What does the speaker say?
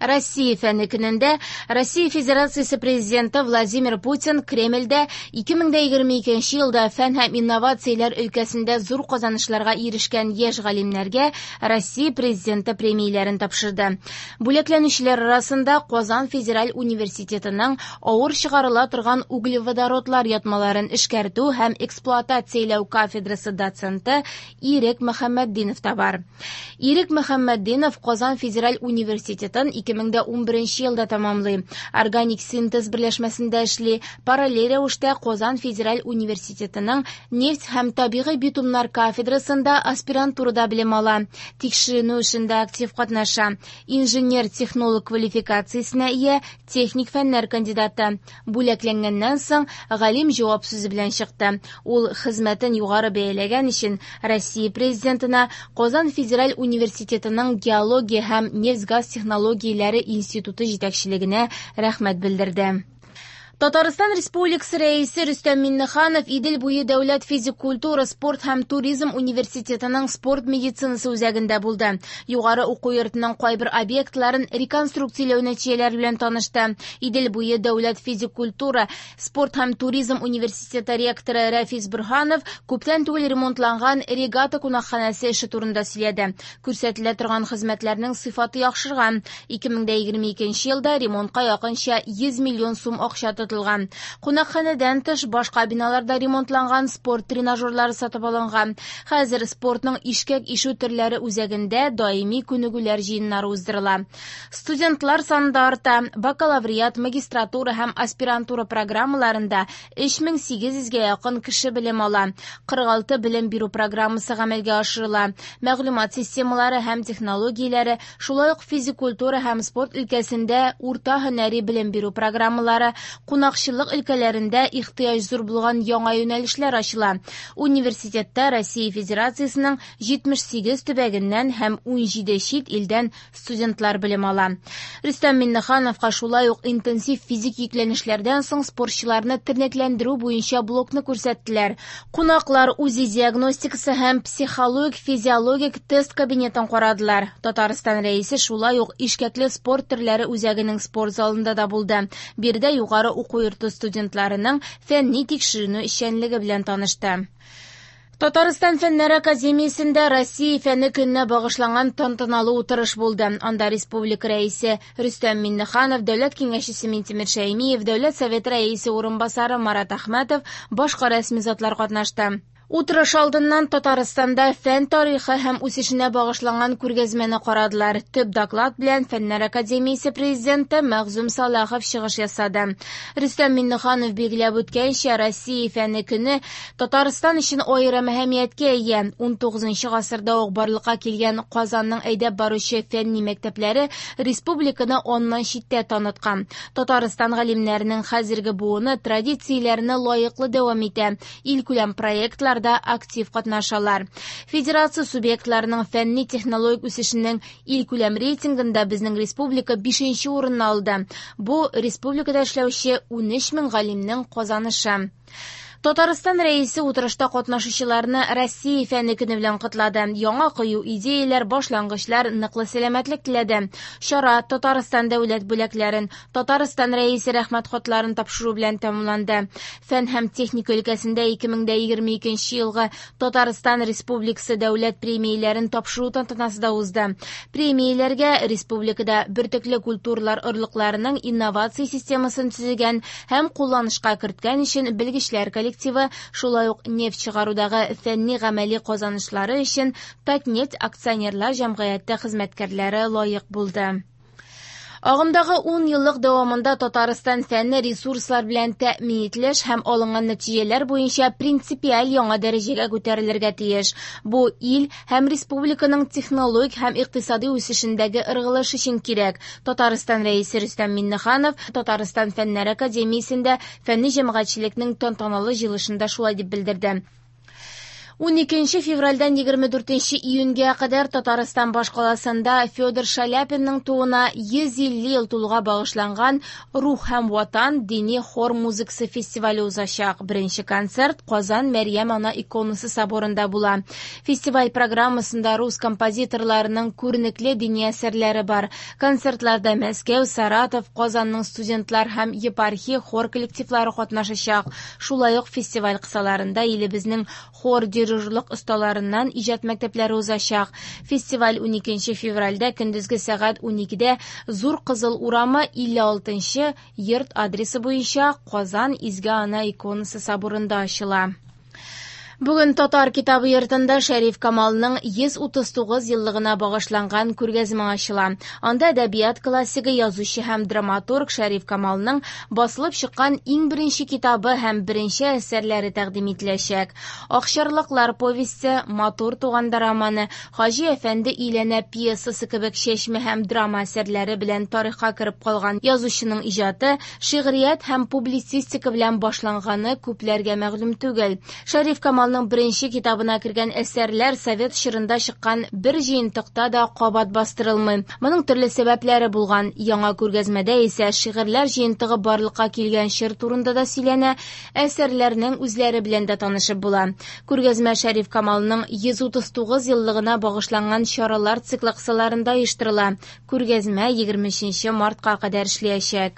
Россия фәне көнендә Россия Федерациясе Президенты Владимир Путин Кремльдә 2022 елда фән һәм инновацияләр өлкәсендә зур казанышларга ирешкән яшь галимнәргә Россия Президенты премияләрен тапшырды. Бүләкләнүчеләр арасында Казан федераль университетының авыр чыгарыла торган углеводородлар ятмаларын эшкәртү һәм эксплуатацияләү кафедрасы доценты Ирек Мөхәммәтдинов та бар. Ирек Мөхәммәтдинов Казан федераль университетын 2011 елда тәмамлый. Органик синтез берләшмәсендә эшли, параллель рәвештә Казан федераль университетының нефть һәм табигый битумнар кафедрасында аспирантурада белем ала. Тикшеренү эшендә актив катнаша. Инженер-технолог квалификациясенә ия, техник фәннәр кандидаты. Бүләкләнгәннән соң галим җавап сүзе белән чыкты. Ул хезмәтен югары бәяләгән өчен Россия Президентына Казан федераль университетының геология һәм нефть-газ технологияләре институты җитәкчелегенә рәхмәт белдерде. Татарстан Республикасы Рәисе Рөстәм Миңнеханов Идел буе дәүләт физик культура, спорт һәм туризм университетының спорт медицинасы үзәгендә булды. Югары уку йортының кайбер объектларын реконструкцияләү нәтиҗәләре белән танышты. Идел буе дәүләт физик культура, спорт һәм туризм университеты ректоры Рәфис Борһанов күптән түгел ремонтланган Регата кунакханәсе эше турында сөйләде. Күрсәтелә торган хезмәтләрнең сыйфаты яхшырган. 2022 елда ремонтка якынча 100 миллион сум акча тотылган. Кунакханәдән тыш башка биналарда ремонтланган спорт тренажерлары сатып алынган. Хәзер спортның ишкәк ишү төрләре үзәгендә даими күнегүләр җыеннары уздырыла. Студентлар саны да арта. Бакалавриат, магистратура һәм аспирантура программаларында 3800гә якын кеше белем ала. 46 белем бирү программасы гамәлгә ашырыла. Мәгълүмат системалары һәм технологияләре, шулай ук физик культура һәм спорт өлкәсендә урта һөнәри белем бирү программалары, кунакчыллык өлкәләрендә ихтыяҗ зур булган яңа юнәлешләр ачыла. Университетта Россия Федерациясенең 78 төбәгеннән һәм 17 чит илдән студентлар белем ала. Рөстәм Миңнехановка шулай ук интенсив физик йөкләнешләрдән соң спортчыларны тернәкләндерү буенча блокны күрсәттеләр. Кунаклар УЗИ диагностикасы һәм психологик-физиологик тест кабинетын карадылар. Татарстан Рәисе шулай ук ишкәкле спорт төрләре үзәгенең спорт залында да булды. Биредә югары уку йорты студентларының фәнни тикшеренү эшчәнлеге белән танышты. Татарстан Фәннәр академиясендә Россия фәне көненә багышланган тантаналы утырыш булды. Анда республика Рәисе Рөстәм Миңнеханов, Дәүләт киңәшчесе Минтимер Шәймиев, Дәүләт Советы Рәисе урынбасары Марат Әхмәтов, башка рәсми затлар катнашты. Утырыш алдыннан Татарстанда фән тарихы һәм үсешенә багышланган күргәзмәне карадылар. Төп доклад белән Фәннәр академиясе президенты Мәгъзүм Салахов чыгыш ясады. Рөстәм Миңнеханов билгеләп үткәнчә, Россия фәне көне Татарстан өчен аерым әһәмияткә ия. 19 гасырда ук барлыкка килгән Казанның әйдәп баручы фәнни мәктәпләре республиканы аннан читтә таныткан. Татарстан галимнәренең хәзерге буыны традицияләрне лаеклы дәвам итә. Илкүләм проектларда актив катнашалар. Федерация субъектларының фәнни технологик үсешенең илкүләм рейтингында безнең республика 5нче урынны алды. Бу республикада эшләүче 13 мең галимнең казанышы. Татарстан Рәисе утырышта катнашучыларны Россия фәне көне белән котлады. Яңа кыю идеяләр, башлангычлар, ныклы сәламәтлек теләде. Чара Татарстан дәүләт бүләкләрен, Татарстан Рәисе рәхмәт хатларын тапшыру белән тәмамланды. Фән һәм техника өлкәсендә 2022 елгы Татарстан Республикасы дәүләт премияләрен тапшыру тантанасы да узды. Премияләргә республикада бөртекле культуралар орлыкларының инновация системасын төзегән һәм кулланышка керткән өчен белгечләр коллективы, шулай ук нефть чыгарудагы фәнни гамәли казанышлары өчен Татнефть акционерлар җәмгыяте хезмәткәрләре лаек булды. Агымдагы 10 еллык дәвамында Татарстан фәнне ресурслар белән тәэмин ителеш һәм алынган нәтиҗәләр буенча принципиаль яңа дәрәҗәгә күтәрелергә тиеш. Бу ил һәм республиканың технологик һәм икътисади үсешендәге ыргылыш өчен кирәк. Татарстан Рәисе Рөстәм Миңнеханов Татарстан Фәннәр академиясендә фәнни җәмәгатьчелекнең тантаналы җыелышында шулай дип белдерде. 12 февральдән 24 июньгә кадәр Татарстан башкаласында Федор Шаляпинның тууына 150 ел тулуга багышланган «Рух һәм Ватан» дини хор музыкасы фестивале узачак. Беренче концерт Казан Мәрьям Ана иконасы соборында була. Фестиваль программасында рус композиторларының күренекле дини әсәрләре бар. Концертларда Мәскәү, Саратов, Казанның студентлар һәм епархия хор коллективлары катнашачак. Шулай ук фестиваль кысаларында илебезнең хор дирижерлык осталарыннан иҗат мәктәпләре узачак. Фестиваль 12 февральдә көндезге сәгать 12дә Зур Кызыл урамы 56 йорт адресы буенча Казан Изге Ана иконасы соборында ачыла. Бүген Татар китабы йортында Шәриф Камалның 139 еллыгына багышланган күргәзмә ачыла. Анда әдәбият классигы, язучы һәм драматург Шәриф Камалның басылып чыккан иң беренче китабы һәм беренче әсәрләре тәкъдим ителәчәк. Акчарлаклар повесте, Матур туганда романы, Хаҗи әфәнде өйләнә пьесасы кебек чәчмә һәм драма әсәрләре белән тарихка кереп калган язучының иҗаты шигърият һәм публицистика белән башланганы күпләргә мәгълүм түгел. Шәриф Камалның беренче китабына кергән әсәрләр совет чорында чыккан бер җыентыкта да кабат бастырылмый. Моның төрле сәбәпләре булган. Яңа күргәзмәдә исә шигырьләр җыентыгы барлыкка килгән чор турында да сөйләнә, әсәрләрнең үзләре белән дә танышып була. Күргәзмә Шәриф Камалның 139 еллыгына багышланган чаралар циклы кысаларында оештырыла. Күргәзмә 23 мартка кадәр эшләячәк.